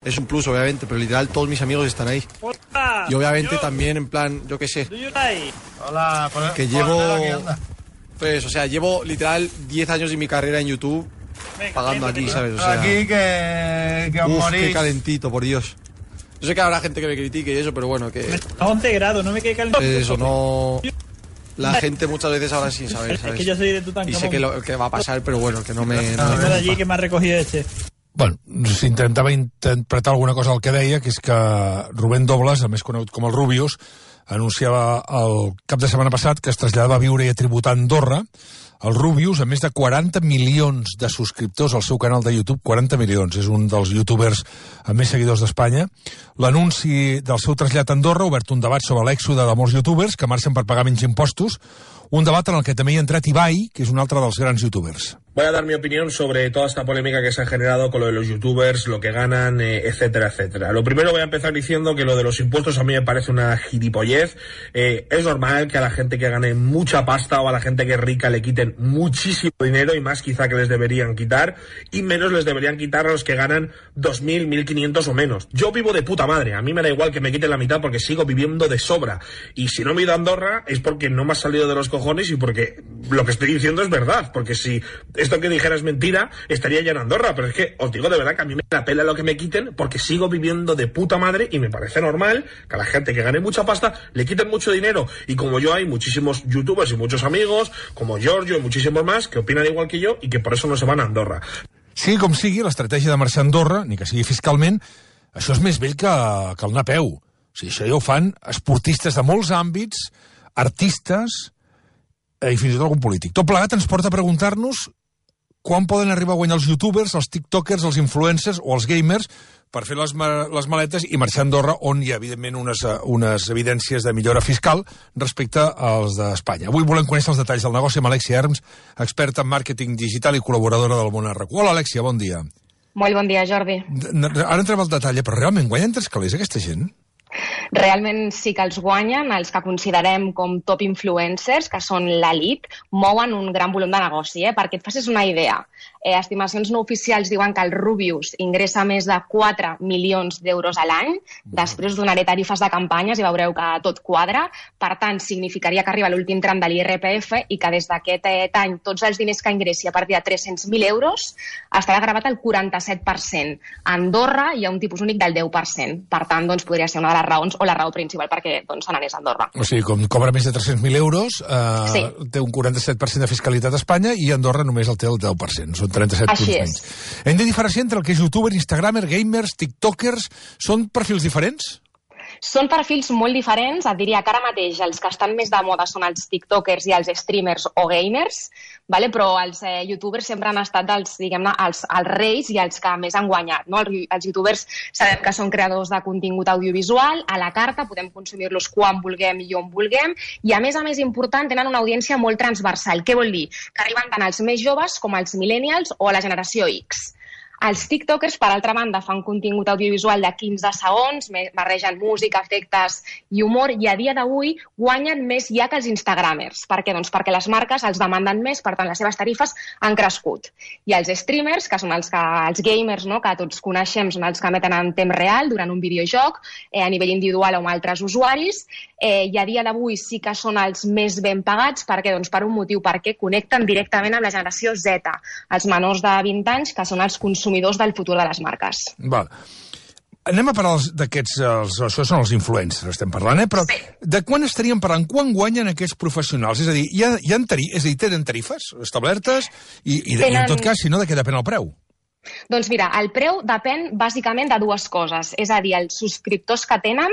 es un plus, obviamente, pero literal todos mis amigos están ahí. Hola, y obviamente también, en plan, yo qué sé. Hola, que llevo literal 10 años de mi carrera en YouTube pagando aquí, ¿sabes? O sea, aquí que os morís. Qué calentito, por Dios. Yo sé que habrá gente que me critique y eso, pero bueno, que... A 11 grados, no me quede calentito. Eso, no... La gente muchas veces ahora sí sabe, ¿sabes? Es que yo soy de Tutankamón. Y sé que va a pasar, pero bueno, que no me... de allí que m'ha recogido Bueno, s'intentava interpretar alguna cosa del que deia, que és que Rubén Dobles, el més conegut com el Rubius, anunciava el cap de setmana passat que es traslladava a viure i a tributar a Andorra. El Rubius, amb més de 40 milions de subscriptors al seu canal de YouTube, 40 milions, és un dels youtubers amb més seguidors d'Espanya. L'anunci del seu trasllat a Andorra ha obert un debat sobre l'èxode de molts youtubers que marxen per pagar menys impostos, un debat en el que també hi ha entrat Ibai, que és un altre dels grans youtubers. Voy a dar mi opinión sobre toda esta polémica que se ha generado con lo de los youtubers, lo que ganan, etcétera, etcétera. Lo primero voy a empezar diciendo que lo de los impuestos a mí me parece una gilipollez. Es normal que a la gente que gane mucha pasta o a la gente que es rica le quiten muchísimo dinero y más quizá que les deberían quitar, y menos les deberían quitar a los que ganan 2.000, 1.500 o menos. Yo vivo de puta madre, a mí me da igual que me quiten la mitad porque sigo viviendo de sobra. Y si no me he ido a Andorra es porque no me ha salido de los cojones y porque lo que estoy diciendo es verdad, porque si esto que dijera es mentira, estaría ya en Andorra, pero es que os digo de verdad que a mí me la pela lo que me quiten porque sigo viviendo de puta madre y me parece normal que a la gente que gane mucha pasta le quiten mucho dinero. Y como yo hay muchísimos youtubers y muchos amigos, como Giorgio y muchísimos más, que opinan igual que yo y que por eso no se van a Andorra. Sigui com sigui, l'estratègia de marxar a Andorra, ni que sigui fiscalment, això és més vell que el anar a peu. O sigui, això ja ho fan esportistes de molts àmbits, artistes i fins i tot algun polític. Tot plegat ens porta a preguntar-nos quan poden arribar a guanyar els youtubers, els tiktokers, els influencers o els gamers per fer les maletes i marxar a Andorra, on hi ha, evidentment, unes evidències de millora fiscal respecte als d'Espanya. Avui volem conèixer els detalls del negoci amb Alexia Herms, experta en màrqueting digital i col·laboradora del Món RQ. Hola, Alexia, bon dia. Molt bon dia, Jordi. Ara entrem al detall, però realment guanyen tres calés aquesta gent? Realment sí que els guanyen, els que considerem com top influencers, que són l'elit, mouen un gran volum de negoci. Perquè et facis una idea, estimacions no oficials diuen que el Rubius ingressa més de 4 milions d'euros a l'any, després donaré tarifes de campanyes i veureu que tot quadra, per tant significaria que arriba l'últim tram de l'IRPF i que des d'aquest any tots els diners que ingressi a partir de 300.000 euros estarà gravat al 47%. A Andorra hi ha un tipus únic del 10%, per tant doncs, podria ser una de les raons o la raó principal perquè se n'anés a Andorra. O sigui, com cobra més de 300.000 euros, sí. Té un 47% de fiscalitat a Espanya i Andorra només el té el 10%. Són 37 punts menys. Hem de diferenciar entre el que és youtuber, instagramer, gamers, tiktokers. Són perfils diferents? Són perfils molt diferents. Et diria que ara mateix els que estan més de moda són els tiktokers i els streamers o gamers, però els youtubers sempre han estat els reis i els que més han guanyat. Els youtubers sabem que són creadors de contingut audiovisual, a la carta, podem consumir-los quan vulguem i on vulguem, i a més important, tenen una audiència molt transversal. Què vol dir? Que arriben tant als més joves com als millennials o a la generació X. Els tiktokers, per altra banda, fan contingut audiovisual de 15 segons, barregen música, efectes i humor, i a dia d'avui guanyen més ja que els instagramers. Per què? Doncs perquè les marques els demanden més, per tant les seves tarifes han crescut. I els streamers, que són els gamers, que tots coneixem, són els que emeten en temps real durant un videojoc, a nivell individual o amb altres usuaris, i a dia d'avui sí que són els més ben pagats. Per què? Doncs per un motiu, perquè connecten directament amb la generació Z, els menors de 20 anys, que són els consumidors del futur de les marques. Val. Anem a parlar d'aquests, això són els influencers, estem parlant, però sí. De quan estaríem parlant? Quan guanyen aquests professionals? És a dir, tenen tarifes establertes i en tot cas, si no, de què depèn el preu? Doncs mira, el preu depèn bàsicament de dues coses, és a dir, els subscriptors que tenen,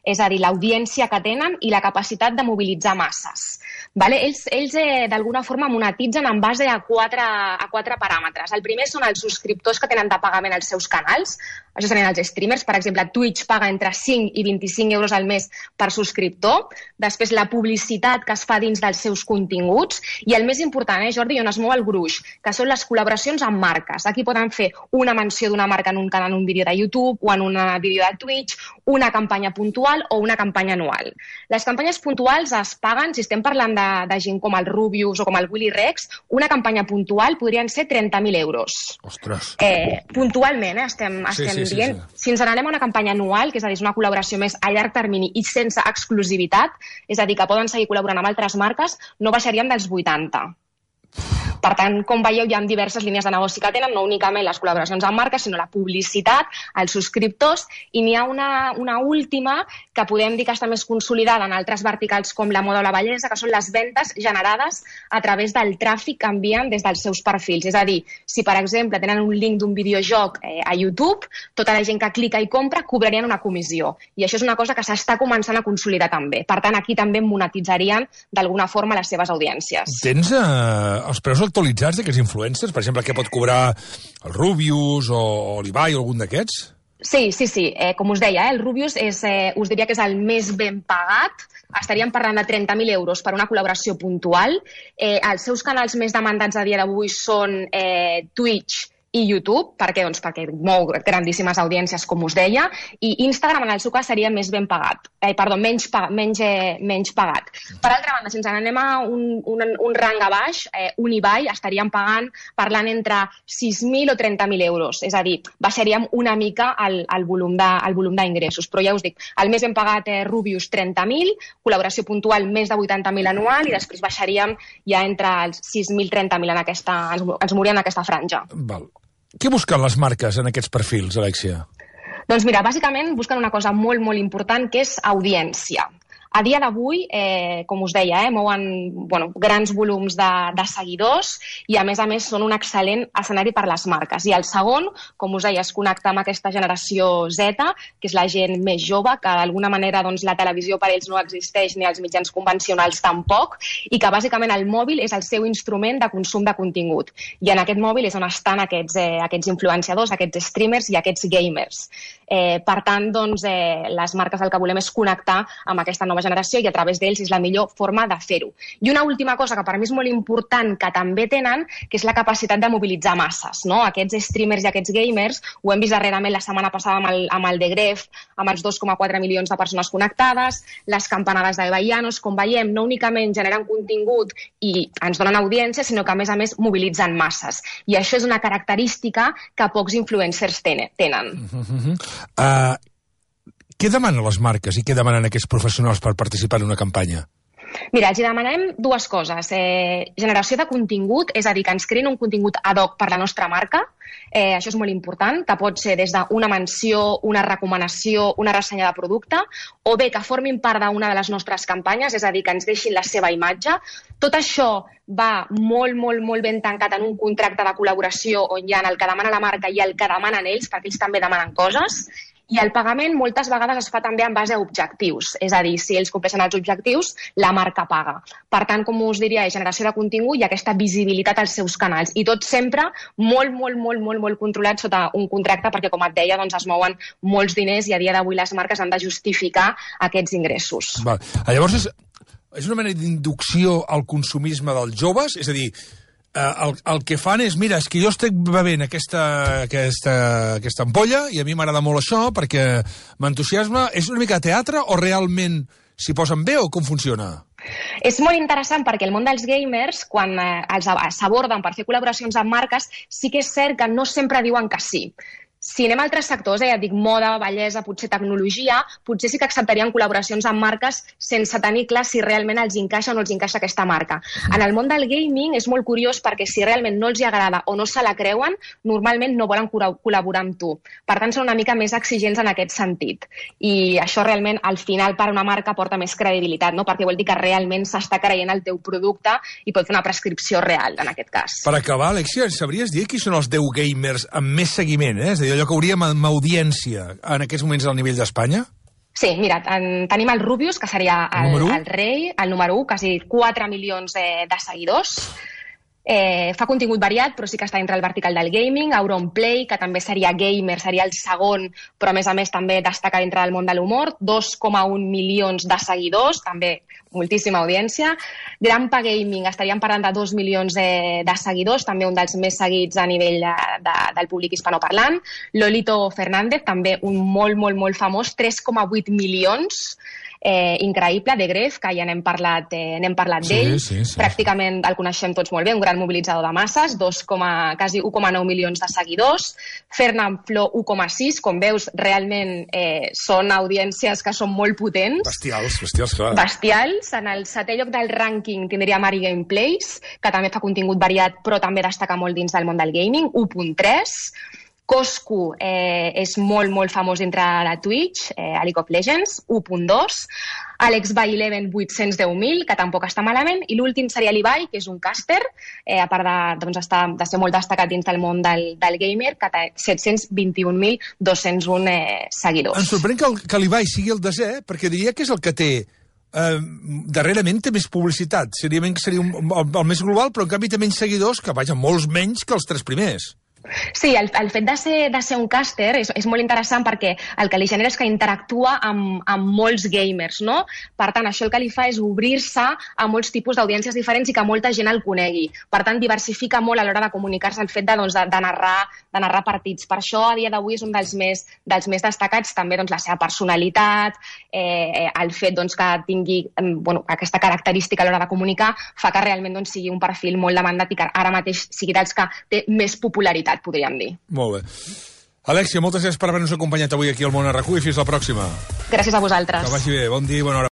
és a dir, l'audiència que tenen i la capacitat de mobilitzar masses. Ells d'alguna forma monetitzen en base a quatre paràmetres. El primer són els subscriptors que tenen de pagament als seus canals. Això serien els streamers. Per exemple, Twitch paga entre 5 i 25 euros al mes per subscriptor. Després, la publicitat que es fa dins dels seus continguts. I el més important, Jordi, on es mou el gruix, que són les col·laboracions amb marques. Aquí poden fer una menció d'una marca en un canal, en un vídeo de YouTube o en un vídeo de Twitch, una campanya puntual puntual o una campanya anual. Les campanyes puntuals es paguen, si estem parlant de gent com el Rubius o com el Willy Rex, una campanya puntual podrien ser 30.000 euros. Ostres. Puntualment, estem dient. Si ens n'anem a una campanya anual, que és a dir, una col·laboració més a llarg termini i sense exclusivitat, és a dir, que poden seguir col·laborant amb altres marques, no baixaríem dels 80. Per tant, com veieu, hi ha diverses línies de negoci que tenen, no únicament les col·laboracions amb marques, sinó la publicitat, els subscriptors, i n'hi ha una última que podem dir que està més consolidada en altres verticals com la moda o la bellesa, que són les ventes generades a través del tràfic que envien des dels seus perfils. És a dir, si per exemple tenen un link d'un videojoc a YouTube, tota la gent que clica i compra cobrarien una comissió. I això és una cosa que s'està començant a consolidar també. Per tant, aquí també monetitzarien d'alguna forma les seves audiències. Tens els preus actualitzats d'aquests influencers? Per exemple, què pot cobrar el Rubius o l'Ibai o algun d'aquests? Sí. Com us deia, el Rubius us diria que és el més ben pagat. Estaríem parlant de 30.000 euros per una col·laboració puntual. Els seus canals més demandats a dia d'avui són Twitch i YouTube, perquè mou grandíssimes audiències, com us deia, i Instagram, en el seu cas, seria més ben pagat. Menys pagat. Per altra banda, si ens n'anem a un rang a baix, un Ibai estaríem parlant entre 6.000 o 30.000 euros. És a dir, baixaríem una mica el volum d'ingressos. Però ja us dic, el més ben pagat Rubius, 30.000, col·laboració puntual més de 80.000 anual, i després baixaríem ja entre els 6.000 i 30.000 ens moríem en aquesta franja. Val. Què busquen les marques en aquests perfils, Alexia? Doncs mira, bàsicament busquen una cosa molt, molt important, que és audiència. A dia d'avui, com us deia, mouen grans volums de seguidors i, a més, són un excel·lent escenari per les marques. I el segon, com us deia, és connectar amb aquesta generació Z, que és la gent més jove, que d'alguna manera la televisió per ells no existeix ni els mitjans convencionals tampoc, i que bàsicament el mòbil és el seu instrument de consum de contingut. I en aquest mòbil és on estan aquests influenciadors, aquests streamers i aquests gamers. Per tant, les marques el que volem és connectar amb aquesta nova generació i a través d'ells és la millor forma de fer-ho. I una última cosa que per mi és molt important que també tenen, que és la capacitat de mobilitzar masses. Aquests streamers i aquests gamers, ho hem vist darrerament la setmana passada amb el The Gref, amb els 2,4 milions de persones connectades, les campanades de Llanos, com veiem, no únicament generen contingut i ens donen audiència, sinó que a més mobilitzen masses. I això és una característica que pocs influencers tenen. Què demanen les marques i què demanen aquests professionals per participar en una campanya? Mira, els demanem dues coses. Generació de contingut, és a dir, que ens creïn un contingut ad hoc per la nostra marca. Això és molt important, que pot ser des d'una menció, una recomanació, una ressenya de producte, o bé que formin part d'una de les nostres campanyes, és a dir, que ens deixin la seva imatge. Tot això va molt, molt, molt ben tancat en un contracte de col·laboració on hi ha el que demana la marca i el que demanen ells, perquè ells també demanen coses. I el pagament moltes vegades es fa també en base a objectius, és a dir, si ells compleixen els objectius, la marca paga. Per tant, com us diria, generació de contingut i aquesta visibilitat als seus canals. I tot sempre molt, molt, molt, molt, molt controlat sota un contracte, perquè, com et deia, es mouen molts diners i a dia d'avui les marques han de justificar aquests ingressos. Val. Llavors, és una mena d'inducció al consumisme dels joves? És a dir, el que fan és, mira, és que jo estic bevent aquesta ampolla i a mi m'agrada molt això perquè m'entusiasma. És una mica de teatre o realment s'hi posen bé o com funciona? És molt interessant perquè el món dels gamers, quan els s'aborden per fer col·laboracions amb marques, sí que és cert que no sempre diuen que sí. Si anem a altres sectors, ja et dic, moda, bellesa, potser tecnologia, potser sí que acceptarien col·laboracions amb marques sense tenir clar si realment els encaixa o no els encaixa aquesta marca. En el món del gaming és molt curiós perquè si realment no els agrada o no se la creuen, normalment no volen col·laborar amb tu. Per tant, són una mica més exigents en aquest sentit. I això realment, al final, per a una marca porta més credibilitat, no? Perquè vol dir que realment s'està creient el teu producte i pot fer una prescripció real, en aquest cas. Per acabar, Alexia, sabries dir qui són els 10 gamers amb més seguiment, És a dir, allò que hauríem amb audiència en aquests moments al nivell d'Espanya? Sí, mira, tenim el Rubius, que seria el rei, el número 1, quasi 4 milions de seguidors. Fa contingut variat, però sí que està dintre el vertical del gaming. Auronplay, que també seria gamer, seria el segon, però a més també destaca dintre del món de l'humor. 2,1 milions de seguidors, també moltíssima audiència. Grampa Gaming, estaríem parlant de 2 milions de seguidors, també un dels més seguits a nivell del públic hispanoparlant. Lolito Fernández, també un molt famós, 3,8 milions. Increïble, de Gref, que ja n'hem parlat d'ell. Sí. Pràcticament el coneixem tots molt bé, un gran mobilitzador de masses, quasi 1,9 milions de seguidors. Fernand Flo, 1,6. Com veus, realment són audiències que són molt potents. Bestials, clar. Bestials. En el setè lloc del rànquing tindria Mari Gameplays, que també fa contingut variat, però també destaca molt dins del món del gaming, 1,3. Coscu és molt famós dintre de Twitch, a League of Legends, 1,2. Alex by 11, 810.000, que tampoc està malament. I l'últim seria l'Ibai, que és un caster, a part de ser molt destacat dins del món del gamer, que té 721.201 seguidors. Em sorprèn que l'Ibai sigui el desè, perquè diria que és el que té darrerament té més publicitat. Seria el més global, però en canvi té menys seguidors, que vaja, molts menys que els 3 primers. Sí, el fet de ser un caster és molt interessant perquè el que li genera és que interactua amb molts gamers, no? Per tant, això el que li fa és obrir-se a molts tipus d'audiències diferents i que molta gent el conegui. Per tant, diversifica molt a l'hora de comunicar-se el fet de narrar partits. Per això, a dia d'avui, és un dels més destacats. També la seva personalitat, el fet que tingui aquesta característica a l'hora de comunicar, fa que realment sigui un perfil molt demandat i que ara mateix sigui dels que té més popularitat, podríem dir. Molt bé. Alèxia, moltes gràcies per haver-nos acompanyat avui aquí al Món a RAC1 i fins la pròxima. Gràcies a vosaltres. Que vagi bé. Bon dia i bona hora.